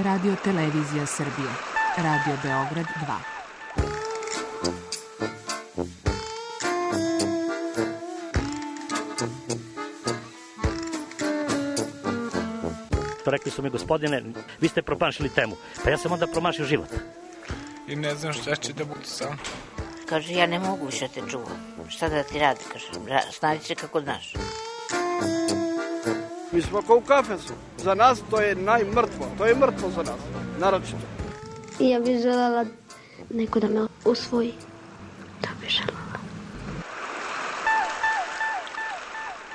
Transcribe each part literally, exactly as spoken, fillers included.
Radio Televizija Srbije, Radio Beograd dva. Rekli su mi, gospodine, vi ste promašili temu. Pa ja sam onda promašio život. I ne znam šta će da bude sam. Kaže, ja ne mogu više te čuvam. Šta da ti radi, kaže, snađi se kako znaš. Mi smo kao u kafesu. Za nas to je najmrtvo. To je mrtvo za nas, naročito. I ja bih želela neko da me usvoji. To bih želela.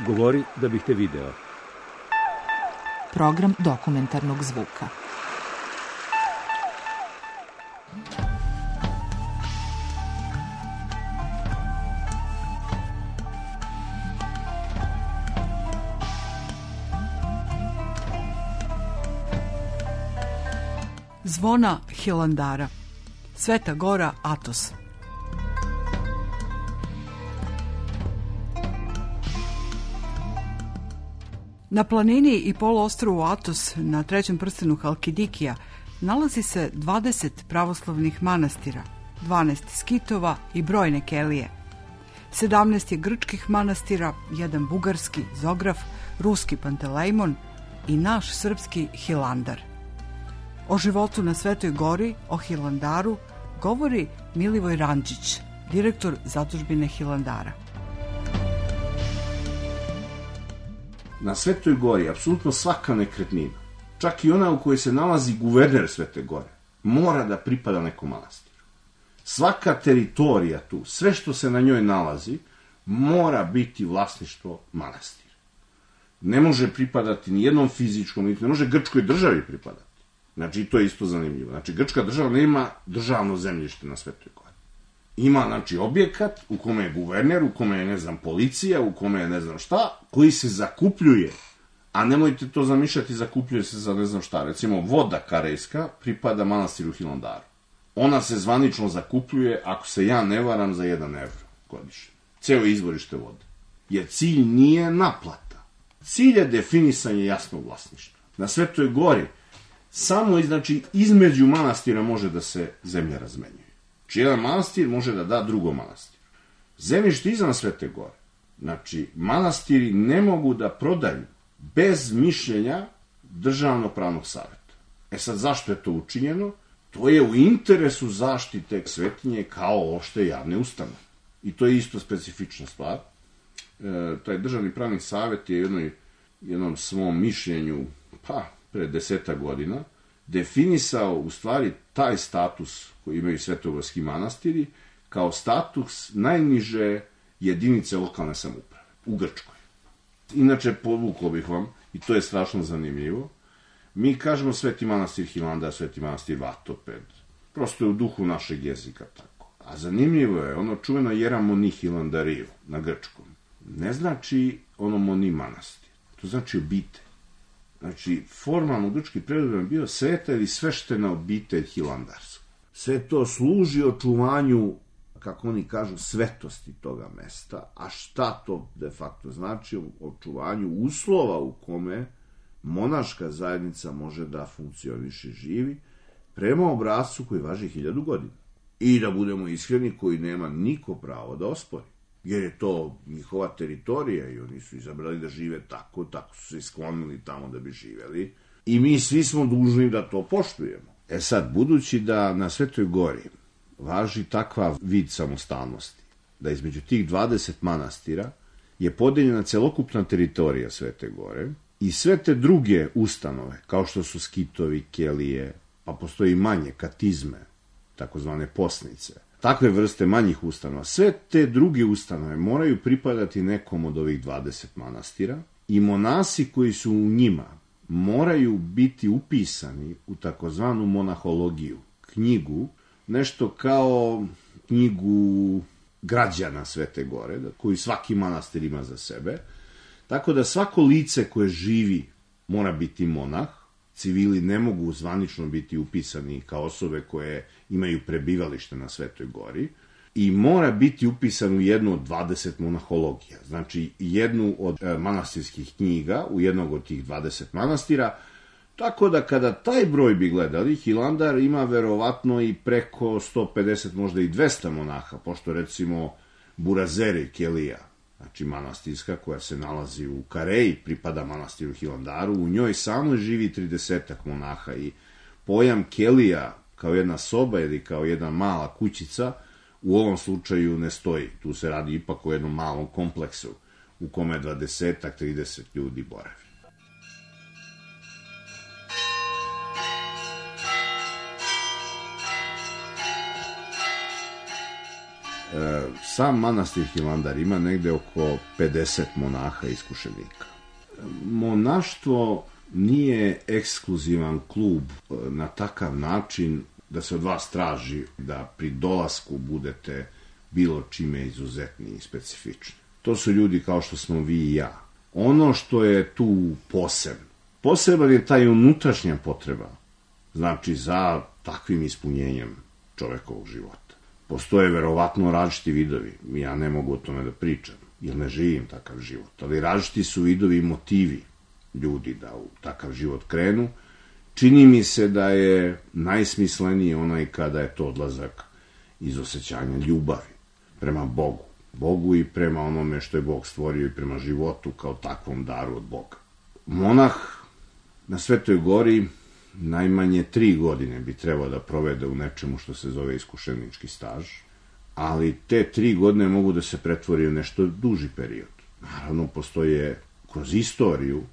Govori da bih te video. Program dokumentarnog zvuka. Zvona Hilandara. Sveta gora Atos. Na planini i poluostrvu Atos, na trećem prstenu Halkidikija, nalazi se dvadeset pravoslavnih manastira, dvanaest skitova i brojne kelije. sedamnaest je grčkih manastira, jedan bugarski Zograf, ruski Pantelejmon i naš srpski Hilandar. O životu na Svetoj gori, o Hilandaru, govori Milivoj Randžić, direktor zadužbine Hilandara. Na Svetoj gori, apsolutno svaka nekretnina, čak i ona u kojoj se nalazi guverner Svete gore, mora da pripada nekom manastiru. Svaka teritorija tu, sve što se na njoj nalazi, mora biti vlasništvo manastira. Ne može pripadati ni jednom fizičkom, ne može grčkoj državi pripadati. Znači, to je isto zanimljivo. Znači, grčka država nema državno zemljište na Svetoj gori. Ima, znači, objekat u kome je guverner, u kome je, ne znam, policija, u kome je ne znam šta, koji se zakupljuje, a nemojte to zamišljati, zakupljuje se za ne znam šta. Recimo, voda karejska pripada manastiru Hilandaru. Ona se zvanično zakupljuje, ako se ja ne varam, za jedan evro godišnje. Ceo izvorište vode. Jer cilj nije naplata. Cilj je definisanje jasnog vlasništva. Na Svetoj gori samo, znači, između manastira može da se zemlja razmenjuje. Znači, jedan manastir može da da drugom manastiru. Zemljište izvan Svete gore. Znači, manastiri ne mogu da prodaju bez mišljenja državno-pravnog saveta. E sad, zašto je to učinjeno? To je u interesu zaštite svetinje kao opšte javne ustanove. I to je isto specifična stvar. E, taj državni pravni savet je jednoj, jednom svom mišljenju, pa, pre deseta godina, definisao u stvari taj status koji imaju svetogorski manastiri kao status najniže jedinice lokalne samouprave u Grčkoj. Inače, povukao bih vam, i to je strašno zanimljivo, mi kažemo Sveti manastir Hilandar, Sveti manastir Vatoped, prosto je u duhu našeg jezika tako. A zanimljivo je ono čuveno Jeramoni Hilandariju na grčkom. Ne znači ono moni manastir, to znači obitelj. Znači, formalno grčki prevod je bio sveta ili sveštena obitelj Hilandarska. Sve to služi očuvanju, kako oni kažu, svetosti toga mesta. A šta to de facto znači? Očuvanju uslova u kome monaška zajednica može da funkcioniše, živi, prema obrascu koji važi hiljadu godina. I da budemo iskreni, koji nema niko pravo da ospori. Jer je to njihova teritorija i oni su izabrali da žive tako, tako su se sklonili tamo da bi živeli. I mi svi smo dužni da to poštujemo. E sad, budući da na Svetoj gori važi takva vid samostalnosti, da između tih dvadeset manastira je podeljena celokupna teritorija Svete gore i sve te druge ustanove, kao što su skitovi, kelije, pa postoji manje katizme, takozvane posnice, takve vrste manjih ustanova, sve te druge ustanove moraju pripadati nekom od ovih dvadeset manastira i monasi koji su u njima moraju biti upisani u takozvanu monahologiju, knjigu, nešto kao knjigu građana Svete gore, koju svaki manastir ima za sebe, tako da svako lice koje živi mora biti monah, civili ne mogu zvanično biti upisani kao osobe koje imaju prebivalište na Svetoj gori i mora biti upisan u jednu od dvadeset monahologija, znači jednu od manastirskih knjiga u jednog od tih dvadeset manastira, Tako da kada taj broj bi gledali, Hilandar ima verovatno i preko sto pedeset, možda i dvesta monaha, pošto recimo Burazeri Kelija, znači manastirska koja se nalazi u Kareji, pripada manastiru Hilandaru, u njoj samo živi tridesetak monaha i pojam Kelija kao jedna soba ili kao jedna mala kućica u ovom slučaju ne stoji. Tu se radi ipak o jednom malom kompleksu u kome dvadesetak, trideset ljudi boravi. Sam manastir Hilandar ima negde oko pedeset monaha iskušenika. Monaštvo nije ekskluzivan klub na takav način da se od vas traži da pri dolasku budete bilo čime izuzetni i specifični. To su ljudi kao što smo vi i ja. Ono što je tu posebno, poseban je taj unutrašnja potreba, znači za takvim ispunjenjem čovekovog života. Postoje verovatno različiti vidovi, ja ne mogu o tome da pričam, jer ne živim takav život, ali različiti su vidovi i motivi ljudi da u takav život krenu. Čini mi se da je najsmisleniji onaj kada je to odlazak iz osjećanja ljubavi prema Bogu. Bogu i prema onome što je Bog stvorio i prema životu kao takvom daru od Boga. Monah na Svetoj gori najmanje tri godine bi trebao da provede u nečemu što se zove iskušenički staž, ali te tri godine mogu da se pretvori u nešto duži period. Naravno, postoje kroz istoriju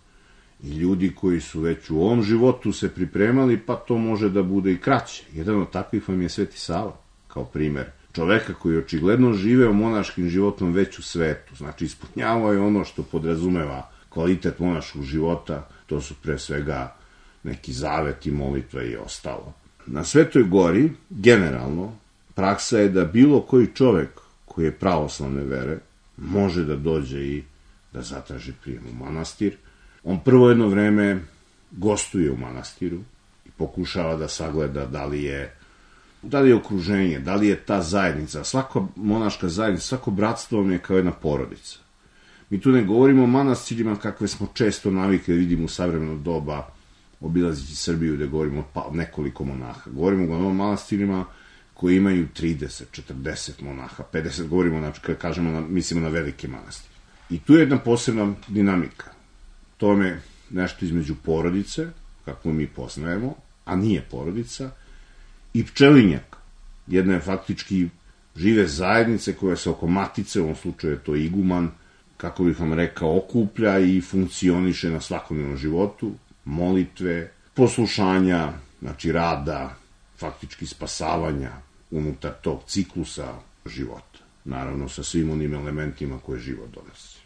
i ljudi koji su već u ovom životu se pripremali, pa to može da bude i kraće. Jedan od takvih vam je Sveti Sava, kao primer čoveka koji očigledno živeo monaškim životom već u svetu. Znači, ispunjavao je ono što podrazumeva kvalitet monaškog života, to su pre svega neki zaveti, molitva i ostalo. Na Svetoj gori, generalno, praksa je da bilo koji čovek koji je pravoslavne vere može da dođe i da zatraži prijem u manastir. On prvo jedno vreme gostuje u manastiru i pokušava da sagleda da li je, da li je okruženje, da li je ta zajednica. Svaka monaška zajednica, svako bratstvo vam je kao jedna porodica. Mi tu ne govorimo o manastirima kakve smo često navikli da vidimo u savremeno doba, obilazići Srbiju gde govorimo o nekoliko monaha. Govorimo o manastirima koji imaju trideset, četrdeset monaha, pedeset, govorimo, znači, kada kažemo, na, mislimo na velike manastire. I tu je jedna posebna dinamika. To je nešto između porodice, kako mi poznajemo, a nije porodica, i pčelinjaka. Jedna je faktički žive zajednice koja se oko matice, u ovom slučaju je to iguman, kako bih vam rekao, okuplja i funkcioniše na svakodnevnom životu, molitve, poslušanja, znači rada, faktički spasavanja unutar tog ciklusa života. Naravno, sa svim onim elementima koje život donosi.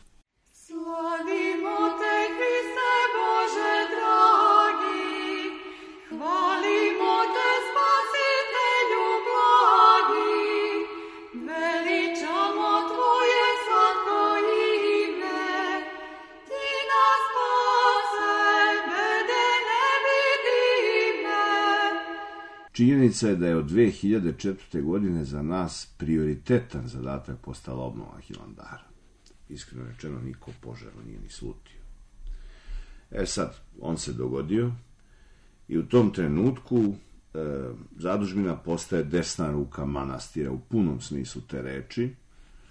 Slavimo te, Hriste Bože dragi, hvalimo te, Spasitelju blagi, veličamo tvoje slatko ime, ti nas spase, bede nevidime. Činjenica je da je od dve hiljade četvrte. godine za nas prioritetan zadatak postala obnova Hilandara. Iskreno rečeno, niko požaru nije ni slutio. E sad, on se dogodio i u tom trenutku e, zadužbina postaje desna ruka manastira u punom smislu te reči.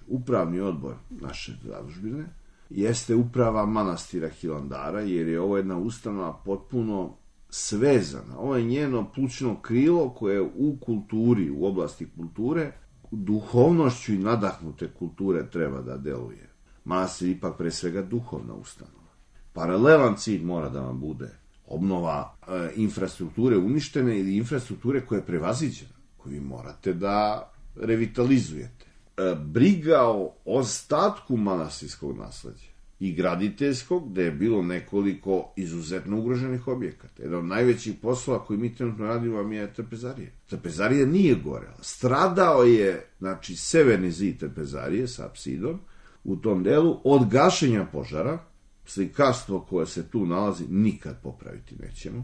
Upravni odbor naše zadužbine jeste uprava manastira Hilandara, jer je ovo jedna ustanova potpuno svezana. Ovo je njeno plućno krilo koje u kulturi, u oblasti kulture, duhovnošću i nadahnute kulture treba da deluje. Manastir ipak pre svega duhovna ustanova. Paralelan cilj mora da vam bude obnova e, infrastrukture uništene ili infrastrukture koja je prevaziđena, koju vi morate da revitalizujete. E, briga o ostatku manastirskog nasleđa i graditeljskog, gde je bilo nekoliko izuzetno ugroženih objekata. Jedan od najvećih poslova koji mi trenutno radimo vam je trpezarija. Trpezarija nije gorela. Stradao je, znači, severni zid trpezarije sa apsidom u tom delu od gašenja požara. Slikarstvo koje se tu nalazi nikad popraviti nećemo,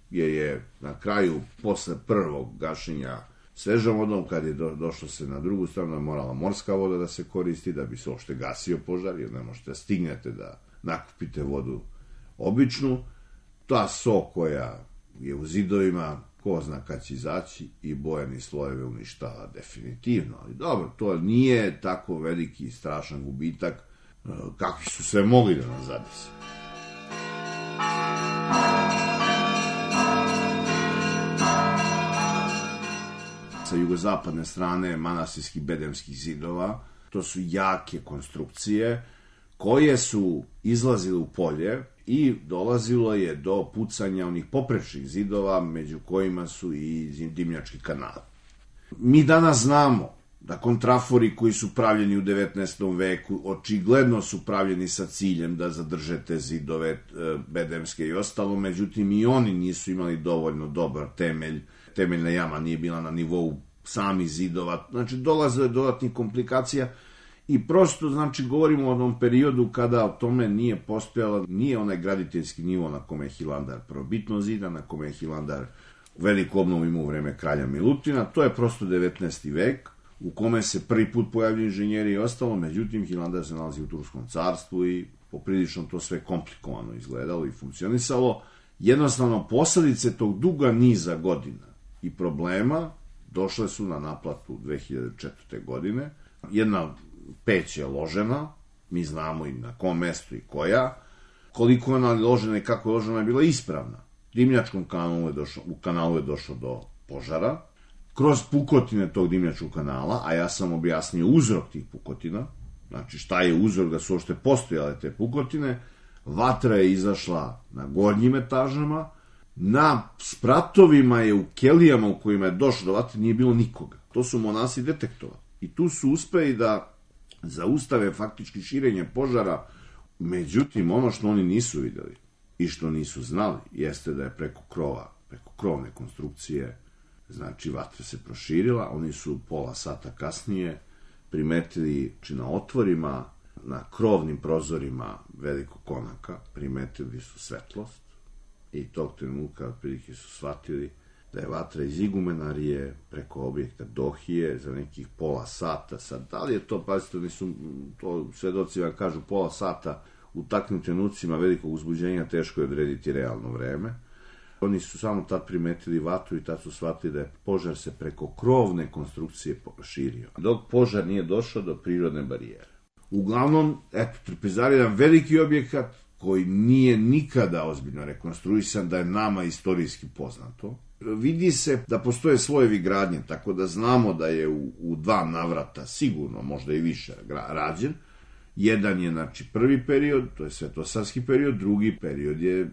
jer je na kraju, posle prvog gašenja svežom vodom, kad je do, došlo se na drugu stranu, morala morska voda da se koristi da bi se uopšte gasio požar, jer ne možete da stignete da nakupite vodu običnu. ta so koja je u zidovima, ko zna kad će izaći, i bojani slojeve uništava definitivno. Ali dobro, to nije tako veliki i strašan gubitak kakvi su sve mogli da nas zadese. Sa jugozapadne strane manastirskih bedemskih zidova, to su jake konstrukcije koje su izlazile u polje i dolazilo je do pucanja onih poprečnih zidova, među kojima su i dimnjački kanali. Mi danas znamo da kontrafori koji su pravljeni u devetnaestom veku očigledno su pravljeni sa ciljem da zadrže te zidove bedemske i ostalo, međutim i oni nisu imali dovoljno dobar temelj, temeljna jama nije bila na nivou samih zidova, znači dolaze do dodatnih komplikacija i prosto, znači, govorimo o onom periodu kada o tome nije postojala, nije onaj graditeljski nivo na kome je Hilandar prvobitno zidan, na kome je Hilandar veliku obnovu imao u vreme kralja Milutina, to je prosto devetnaesti vek, u kome se prvi put pojavljaju inženjeri i ostalo, međutim Hilandar se nalazi u Turskom carstvu i poprilično to sve komplikovano izgledalo i funkcionisalo. Jednostavno, posledice tog duga niza godina i problema došle su na naplatu dve hiljade četvrte. godine. Jedna peć je ložena, mi znamo i na kom mestu i koja, koliko je ona ložena i kako je ložena je bila ispravna. Dimnjačkom kanalu je došlo, u kanalu je došlo do požara, kroz pukotine tog dimnjačkog kanala, a ja sam objasnio uzrok tih pukotina, znači šta je uzrok da su uopšte postojale te pukotine, vatra je izašla na gornjim etažama, na spratovima je u kelijama u kojima je došlo do vatre nije bilo nikoga. To su monasi detektovali. I tu su uspeli da zaustave faktički širenje požara, međutim ono što oni nisu videli i što nisu znali jeste da je preko krova, preko krovne konstrukcije, znači vatra se proširila. Oni su pola sata kasnije primetili, či na otvorima, na krovnim prozorima velikog konaka, primetili su svetlost i tog trenutka otprilike su shvatili da je vatra iz igumenarije preko objekta Dohije za nekih pola sata. Sad, da li je to, pazite, nisu, to svedoci vam kažu pola sata, u takvim trenucima velikog uzbuđenja teško je odrediti realno vreme. Oni su samo tad primetili vatru i tad su shvatili da je požar se preko krovne konstrukcije širio. Dok požar nije došao do prirodne barijere. Uglavnom, eto, Trpezarija je jedan veliki objekat koji nije nikada ozbiljno rekonstruisan, da je nama istorijski poznato. Vidi se da postoje slojevi gradnje, tako da znamo da je u, u dva navrata, sigurno, možda i više, rađen. Jedan je, znači, prvi period, to je svetosavski period, drugi period je e,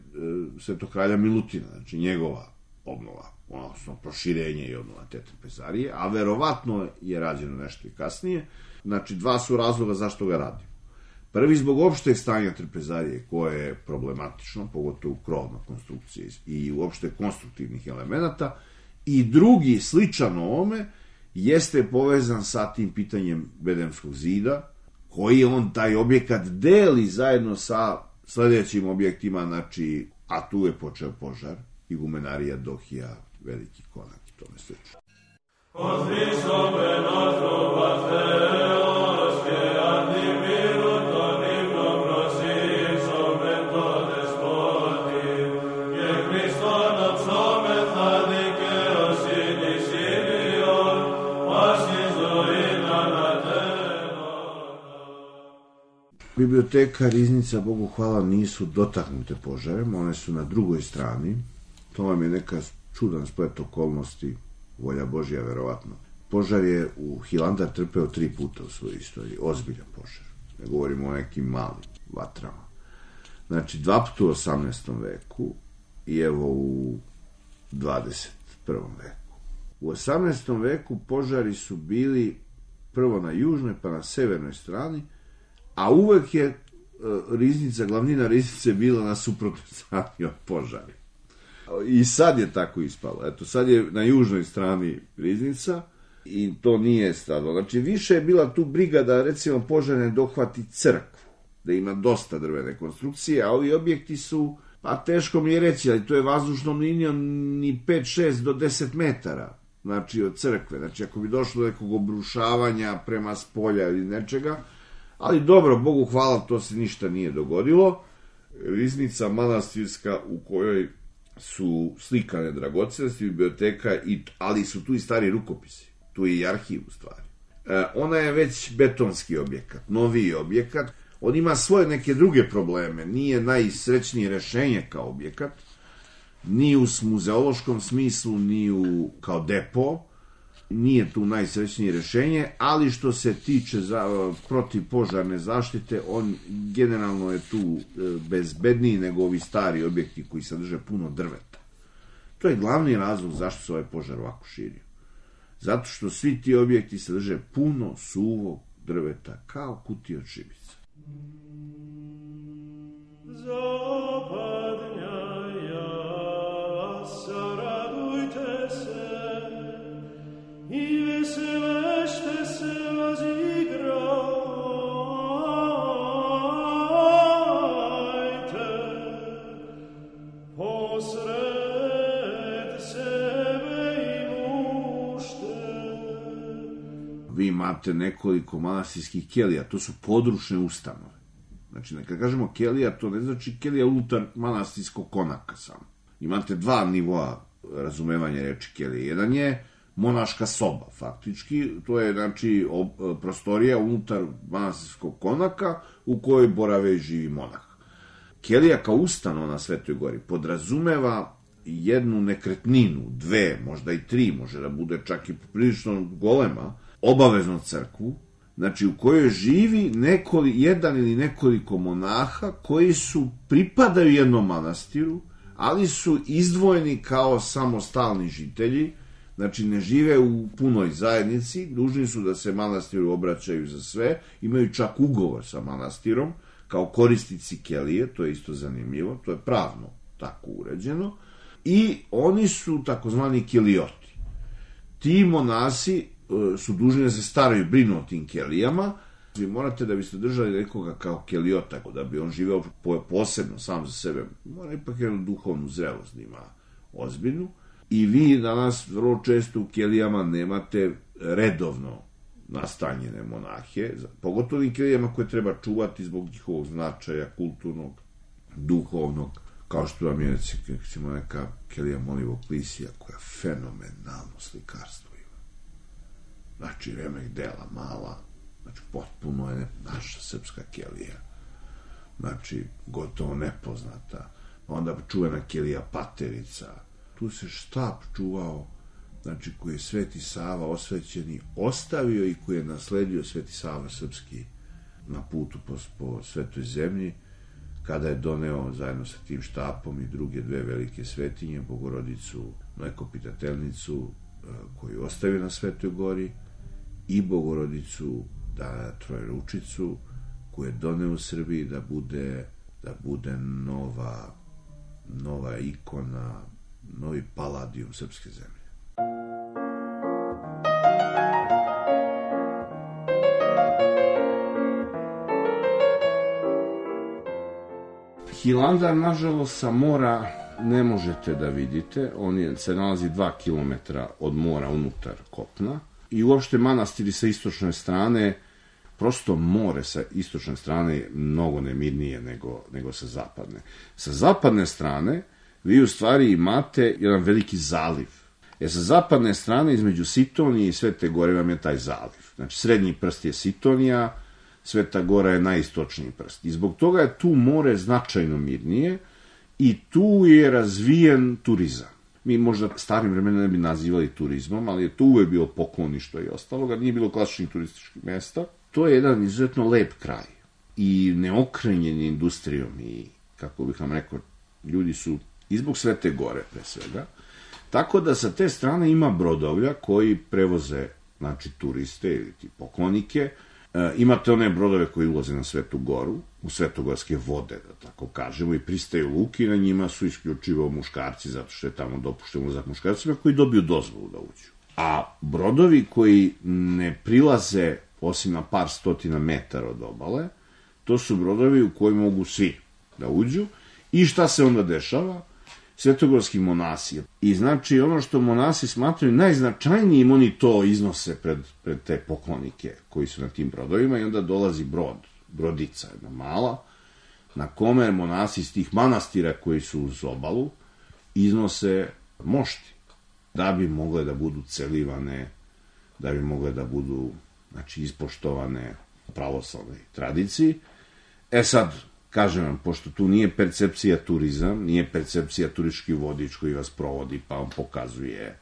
Svetokralja Milutina, znači njegova obnova, odnosno proširenje i obnova te Trpezarije, a verovatno je rađeno nešto i kasnije. Znači, dva su razloga zašto ga radimo. Prvi, zbog opšteg stanja Trpezarije, koje je problematično, pogotovo u krovnoj konstrukciji i uopšte konstruktivnih elemenata, i drugi, sličan ovome, jeste povezan sa tim pitanjem Bedemskog zida, koji on taj objekat deli zajedno sa sledećim objektima, znači, a tu je počeo požar, igumenarija, Dohija, veliki konak i tome slično. Biblioteka, riznica, Bogu hvala, nisu dotaknute požarem, one su na drugoj strani. To vam je neka čudan splet okolnosti, volja Božja, verovatno. Požar je u Hilandar trpeo tri puta u svojoj istoriji, ozbiljan požar. Ne govorimo o nekim malim vatrama. Znači, dva puta u osamnaestom veku i evo u dvadeset prvom veku. U osamnaestom veku požari su bili prvo na južnoj pa na severnoj strani, a uvek je uh, riznica, glavnina riznice bila na suprotnoj strani od požari. I sad je tako ispalo. Eto, sad je na južnoj strani riznica i to nije stradalo. Znači, više je bila tu briga da, recimo, požar ne dohvati crkvu, da ima dosta drvene konstrukcije, a ovi objekti su, pa teško mi je reći, ali to je vazdušnom linijom ni pet šest do deset metara, znači, od crkve. Znači, ako bi došlo do nekog obrušavanja prema spolja ili nečega, ali dobro, Bogu hvala, to se ništa nije dogodilo. riznica manastirska u kojoj su slikane dragocenosti, biblioteka, i, ali su tu i stari rukopisi. Tu je i arhiv u stvari. E, ona je već betonski objekat, noviji objekat. On ima svoje neke druge probleme. Nije najsrećnije rešenje kao objekat, ni u muzeološkom smislu, ni u, kao depo. Nije tu najsrećnije rešenje, ali što se tiče za, protivpožarne zaštite, on generalno je tu bezbedniji nego ovi stari objekti koji sadrže puno drveta. To je glavni razlog zašto se ovaj požar ovako širio. Zato što svi ti objekti sadrže puno suvog drveta, kao kutije od šibica. I veselešte se razigrajte, posred sebe i mušte. Vi imate nekoliko manastirskih kelija, to su područne ustanove. Znači, kad kažemo kelija, to ne znači kelija unutar manastirskog konaka samo. Imate dva nivoa razumevanja reči kelije. Jedan je monaška soba, faktički, to je, znači, ob, prostorija unutar manastirskog konaka u kojoj borave i živi monah. Kelija kao ustanova na Svetoj Gori podrazumeva jednu nekretninu, dve, možda i tri, može da bude čak i prilično golema, obavezno crkvu, znači u kojoj živi nekoli, jedan ili nekoliko monaha koji su, pripadaju jednom manastiru, ali su izdvojeni kao samostalni žitelji. Znači, ne žive u punoj zajednici, dužni su da se manastiru obraćaju za sve, imaju čak ugovor sa manastirom, kao korisnici kelije, to je isto zanimljivo, to je pravno tako uređeno, i oni su takozvani kelijoti. Ti monasi e, su dužni da se staraju, brinu o tim kelijama. Vi morate, da biste držali nekoga kao kelijota, da bi on živeo posebno, sam za sebe, mora ipak jednu duhovnu zrelost da ima ozbiljnu. I vi danas vrlo često u kelijama nemate redovno nastanjene monahe, pogotovo i kelijama koje treba čuvati zbog njihovog značaja, kulturnog, duhovnog, kao što vam je, recimo, neka kelija Molivog Klisija, koja fenomenalno slikarstvo ima. Znači, remek dela mala, znači, potpuno je naša srpska kelija. Znači, gotovo nepoznata. Onda čuvena kelija Paterica. Tu se štap čuvao, znači, koji je Sveti Sava osvećeni ostavio i koji je nasledio Sveti Sava Srpski na putu po, po Svetoj zemlji, kada je doneo zajedno sa tim štapom i druge dve velike svetinje, Bogorodicu Mlekopitateljnicu, koju je ostavio na Svetoj Gori, i Bogorodicu Trojeručicu, koju je doneo u Srbiji da bude, da bude nova, nova ikona, novi paladijum srpske zemlje. Hilandar, nažalost, sa mora ne možete da vidite. On je, se nalazi dva kilometra od mora unutar kopna. I uopšte manastiri sa istočne strane, prosto more sa istočne strane je mnogo nemirnije nego, nego sa zapadne. Sa zapadne strane vi u stvari imate jedan veliki zaliv. E sa zapadne strane, između Sitonije i Svete Gore, vam je taj zaliv. Znači, srednji prst je Sitonija, Sveta Gora je najistočniji prst. I zbog toga je tu more značajno mirnije i tu je razvijen turizam. Mi možda starim vremenom ne bi nazivali turizmom, ali je tu uvek bilo pokloništvo i ostaloga, nije bilo klasičnih turističkih mesta. To je jedan izuzetno lep kraj i neokrenjen industrijom i, kako bih vam rekao, ljudi su i zbog Svete Gore pre svega. Tako da sa te strane ima brodovlja koji prevoze, znači, turiste ili ti poklonike. E, imate one brodove koji ulaze na Svetu Goru, u svetogorske vode, da tako kažemo, i pristaju luki, na njima su isključivo muškarci, zato što je tamo dopušten ulazak muškarcima koji dobiju dozvolu da uđu. A brodovi koji ne prilaze osim na par stotina metara od obale, to su brodovi u koji mogu svi da uđu. I šta se onda dešava? Svetogorski monasi. I znači ono što monasi smatraju najznačajnijim, oni to iznose pred, pred te poklonike koji su na tim brodovima i onda dolazi brod, brodica jedna mala, na kome monasi iz tih manastira koji su uz obalu iznose mošti, da bi mogle da budu celivane, da bi mogle da budu, znači, ispoštovane pravoslavnoj tradiciji. E sad, kažem vam, pošto tu nije percepcija turizam, nije percepcija turistički vodič koji vas provodi pa vam pokazuje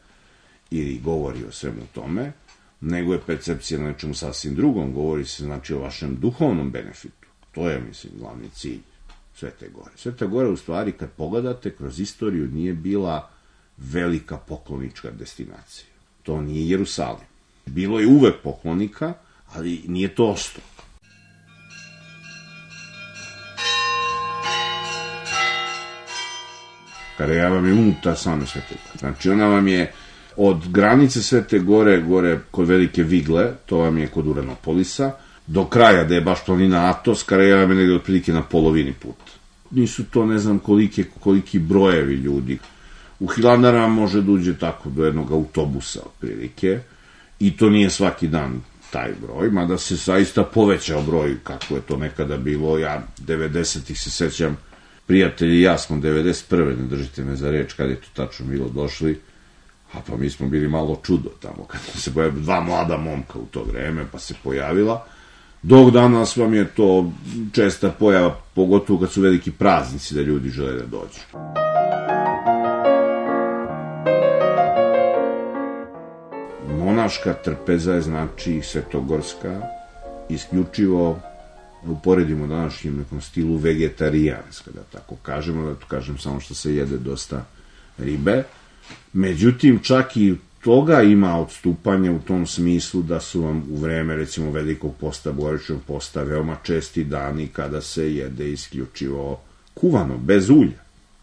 ili govori o svemu tome, nego je percepcija na nečemu sasvim drugom, govori se, znači, o vašem duhovnom benefitu. To je, mislim, glavni cilj Svete Gore. Sveta Gora, u stvari, kad pogledate, kroz istoriju nije bila velika poklonička destinacija. To nije Jerusalim. Bilo je uvek poklonika, ali nije to ostalo. Karaja vam je unutar same Svete Gore. Znači, ona vam je od granice Svete Gore, gore kod Velike Vigle, to vam je kod Uranopolisa, do kraja, da je baš planina Atos, Karaja vam je negdje otprilike na polovini puta. Nisu to, ne znam, kolike, koliki brojevi ljudi. U Hilandara može da uđe tako do jednog autobusa, otprilike, i to nije svaki dan taj broj, mada se zaista povećao broj, kako je to nekada bilo. Ja devedesetih se sećam, prijatelji i ja smo devedeset prve, ne držite me za reč, kad je to tačno bilo, došli, a pa mi smo bili malo čudo tamo, kad se pojavila dva mlada momka u to vreme, pa se pojavila. Dok danas vam je to česta pojava, pogotovo kad su veliki praznici da ljudi žele da dođu. Monaška trpeza je, znači, svetogorska, isključivo, uporedimo današnjim nekom stilu vegetarijanska, da tako kažemo, da to kažem samo što se jede dosta ribe. Međutim, čak i toga ima odstupanje u tom smislu da su vam u vreme, recimo, Velikog posta, Božićnog posta, veoma česti dani kada se jede isključivo kuvano, bez ulja.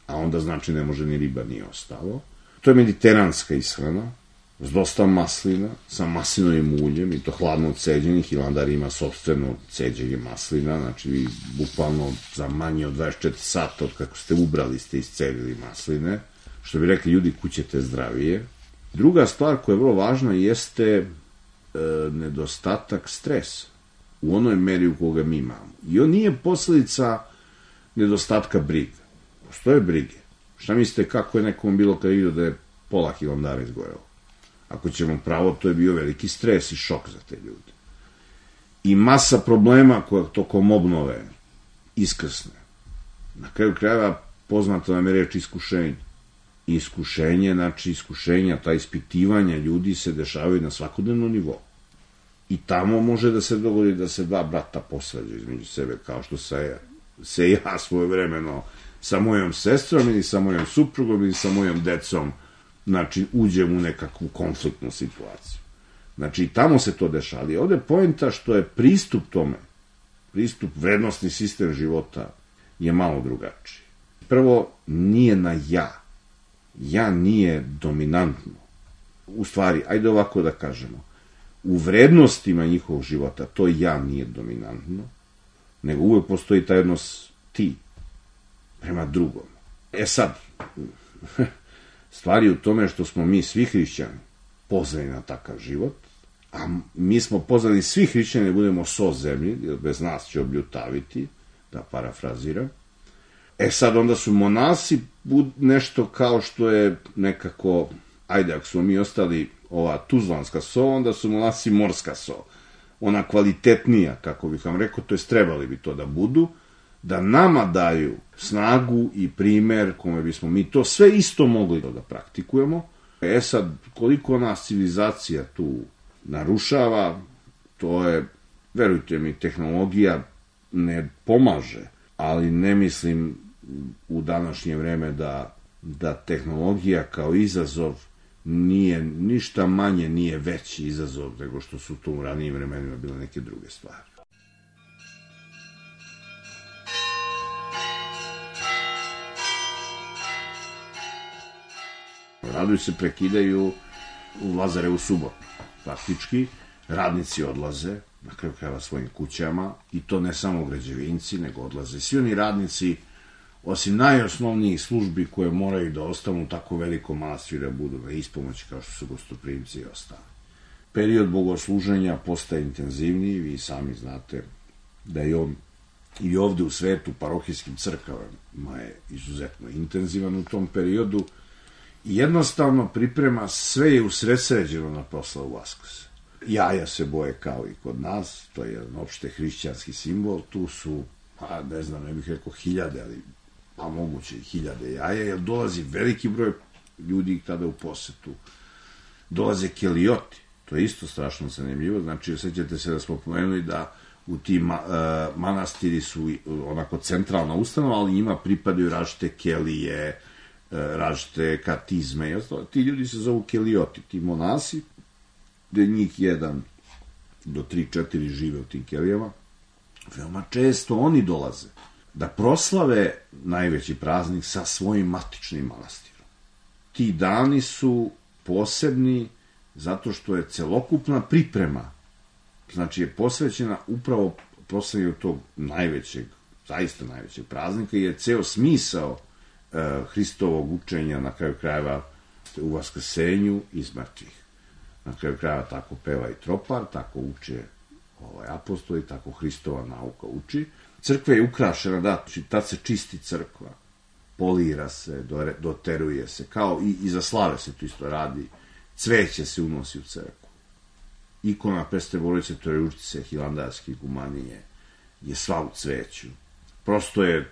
A onda, znači, ne može ni riba ni ostalo. To je mediteranska ishrana, s dosta maslina, sa maslinovim uljem, i to hladno ceđenih. Hilandar ima sopstveno ceđenje maslina, znači vi bukvalno za manje od dvadeset četiri sata od kako ste ubrali ste iscedili masline, što bi rekli ljudi, kućete zdravije. Druga stvar koja je vrlo važna jeste e, nedostatak stresa u onoj meri u koga mi imamo. I on nije posledica nedostatka briga. Postoje brige. Šta mislite kako je nekom bilo kada vidio da je pola Hilandara izgorelo? Ako ćemo pravo, to je bio veliki stres i šok za te ljude. I masa problema koja tokom obnove iskrsne. Na kraju krajeva poznata nam je reč iskušenje. Iskušenje, znači iskušenja, ta ispitivanja ljudi se dešavaju na svakodnevnom nivou. I tamo može da se dogodi da se dva brata posvađaju između sebe, kao što se, se ja svojevremeno sa mojom sestrom ili sa mojom suprugom ili sa mojom decom, znači, uđem u nekakvu konfliktnu situaciju. Znači, tamo se to dešava. Ali ovde je poenta što je pristup tome, pristup, vrednostni sistem života je malo drugačiji. Prvo, nije na ja. Ja nije dominantno. U stvari, ajde ovako da kažemo, u vrednostima njihovog života to ja nije dominantno, nego uvek postoji taj odnos ti prema drugom. E sad, stvari u tome što smo mi svi hrišćani pozvani na takav život, a mi smo pozvani svi hrišćani da budemo so zemlji, jer bez nas će obljutaviti, da parafraziram. E sad onda su monasi nešto kao što je nekako, ajde, ako smo mi ostali ova tuzlanska so, onda su monasi morska so. Ona kvalitetnija, kako bih vam rekao, to jest trebali bi to da budu, da nama daju snagu i primer kome bismo mi to sve isto mogli da praktikujemo. E sad, koliko nas civilizacija tu narušava, to je, verujte mi, tehnologija ne pomaže, ali ne mislim u današnje vreme da, da tehnologija kao izazov nije, ništa manje nije veći izazov nego što su to u ranijim vremenima bile neke druge stvari. Radovi se prekidaju u Lazarevu subotu. Faktički, radnici odlaze na kraju krajeva svojim kućama, i to ne samo građevinci, nego odlaze svi oni radnici, osim najosnovnijih službi koje moraju da ostanu u tako velikom manastiru, da budu na ispomoći kao što su gostoprimci i ostali. Period bogosluženja postaje intenzivniji, vi sami znate da je on i ovde u svetu parohijskim crkavama je izuzetno intenzivan u tom periodu i jednostavno priprema, sve je usredsređeno na proslavu Vaskrsa. Jaja se boje kao i kod nas, to je jedan opšte hrišćanski simbol, tu su, pa ne znam, ne bih rekao hiljade, ali pa moguće i hiljade jaja, jer dolazi veliki broj ljudi tada u posetu. Dolaze kelijoti, to je isto strašno zanimljivo, znači, osjećate se da smo pomenuli da u tim uh, manastiri su onako centralna ustanova, ali njima pripadaju različite kelije, uh, različite katizme i ostalo. Ti ljudi se zovu kelijoti, ti monasi, gde njih jedan do tri, četiri žive u tim kelijama. Veoma često oni dolaze da proslave najveći praznik sa svojim matičnim manastirom. Ti dani su posebni zato što je celokupna priprema, znači je posvećena upravo proslavljanju tog najvećeg, zaista najvećeg praznika, je ceo smisao e, Hristovog učenja na kraju krajeva u vaskrsenju iz mrtvih. Na kraju krajeva tako peva i tropar, tako uče ovaj, apostoli, tako Hristova nauka uči. Crkva je ukrašena, da, tad se čisti crkva, polira se, doteruje se, kao i, i za slave se to isto radi, cveće se unosi u crkvu. Ikona Presvete Bogorodice Trojeručice, hilandarske igumanije, je sva u cveću. Prosto je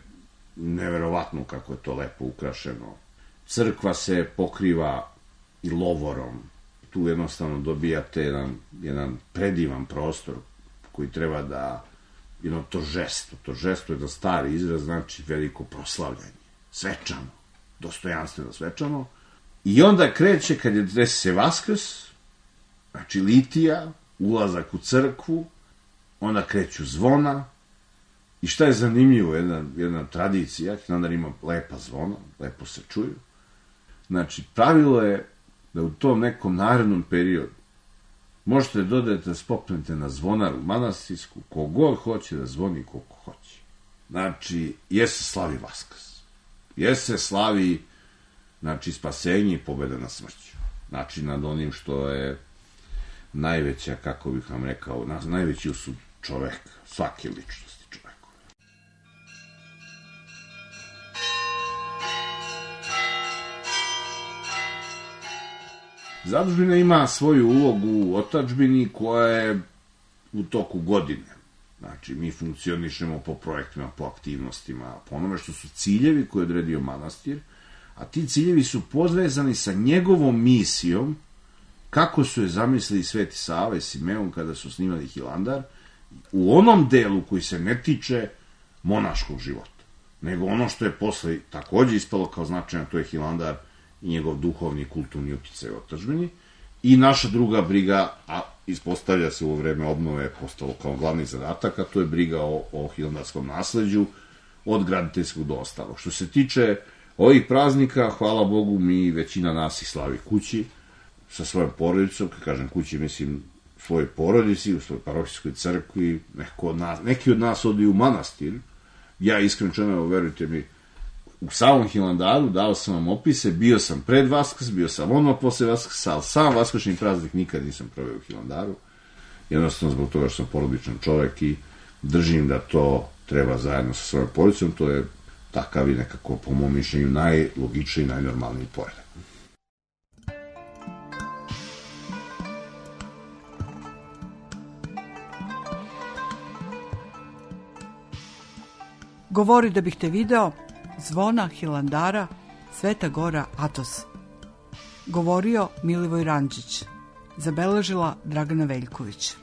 neverovatno kako je to lepo ukrašeno. Crkva se pokriva i lovorom. Tu jednostavno dobijate jedan, jedan predivan prostor koji treba da, jedno tožestvo, tožestvo je da stari izraz, znači veliko proslavljanje, svečano, dostojanstveno svečano. I onda kreće, kad je desi se Vaskrs, znači litija, ulazak u crkvu, onda kreću zvona, i šta je zanimljivo, jedna, jedna tradicija, Hilandar ima lepa zvona, lepo se čuju. Znači, pravilo je da u tom nekom narednom periodu možete dodati da spopnete na zvonaru manastirsku, kogod hoće da zvoni, koliko hoće. Znači, je se slavi Vaskrs. Je se slavi, znači, spasenje i pobeda na smrću. Znači, nad onim što je najveća, kako bih vam rekao, najveći usud čoveka, svake ličnosti čovekove. Zadužbina ima svoju ulogu u otadžbini koja je u toku godine. Znači, mi funkcionišemo po projektima, po aktivnostima, po onome što su ciljevi koje je odredio manastir, a ti ciljevi su povezani sa njegovom misijom, kako su je zamislili Sveti Sava i Simeon kada su snimali Hilandar, u onom delu koji se ne tiče monaškog života, nego ono što je posle takođe ispalo kao značajno, to je Hilandar i njegov duhovni i kulturni uticaj u otadžbini. I naša druga briga, a ispostavlja se u vreme obnove, postalo kao glavni zadatak, a to je briga o, o hilandarskom nasleđu, od graditeljskog do ostalog. Što se tiče ovih praznika, hvala Bogu, mi većina nas ih slavi kući, sa svojom porodicom, kad kažem kući, mislim svojoj porodici, u svojoj parohijskoj crkvi, neko od nas, neki od nas odi u manastir. Ja iskreno čeno, verujte mi, u samom Hilandaru dao sam vam opise, bio sam pred Vaskrs, bio sam odmah posle Vaskrsa, ali sam vaskršnji praznik nikad nisam proveo u Hilandaru, jednostavno zbog toga što sam porodičan čovek i držim da to treba zajedno sa svojom porodicom, to je takav i nekako, po mom mišljenju, najlogičniji i najnormalniji poredak. Govori da bih te video, zvona Hilandara, Sveta Gora Atos. Govorio Milivoj Rančić. Zabeležila Dragana Veljković.